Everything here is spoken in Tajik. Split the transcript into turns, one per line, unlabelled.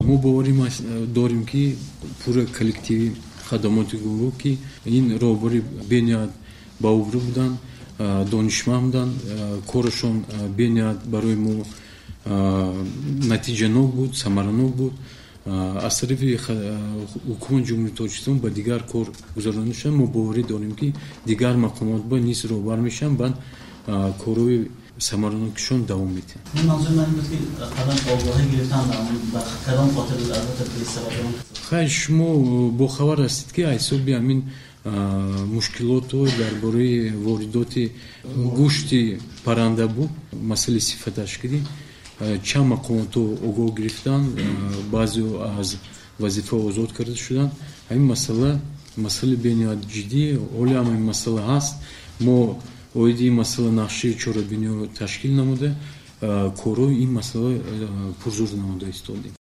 Мо боварӣ дорем, ки пурра коллективи хадамоти гумрук, ки ин роҳбари бениҳоят баобрӯ буданд, донишманд буданд, корашон бениҳоят барои мо натиҷанок буд, самаранок буд. Аз тарафи ҳукумати Ҷумҳурии Тоҷикистон ба дигар кор гузаронида шуданд. Мо боварӣ дорем, ки дигар мақомот ба низ роҳбар мешаванд, баъд корҳои самаранокишон давом медиҳанд.
Манзури ман ин буд, ки қаблан огоҳӣ гирифтан ба кадом хотир буд, албатта бесабаб.
Хай, шумо бохабар ҳастед, ки ҳисоби ҳамин мушкилоту дар бораи воридоти гӯшти парранда буд, масъалаи сифаташ кардем, чанд мақомотҳо огоҳ гирифтанд, баъзео аз вазифа озод карда шуданд. Ҳамин масъала масъалаи бениҳоят ҷиддӣ. Ҳоле ҳам ин масъала ҳаст. Мо оиди ин масъала нақшаи чорабиниҳо ташкил намуда, корҳои ин масъала пурзур намуда истодем.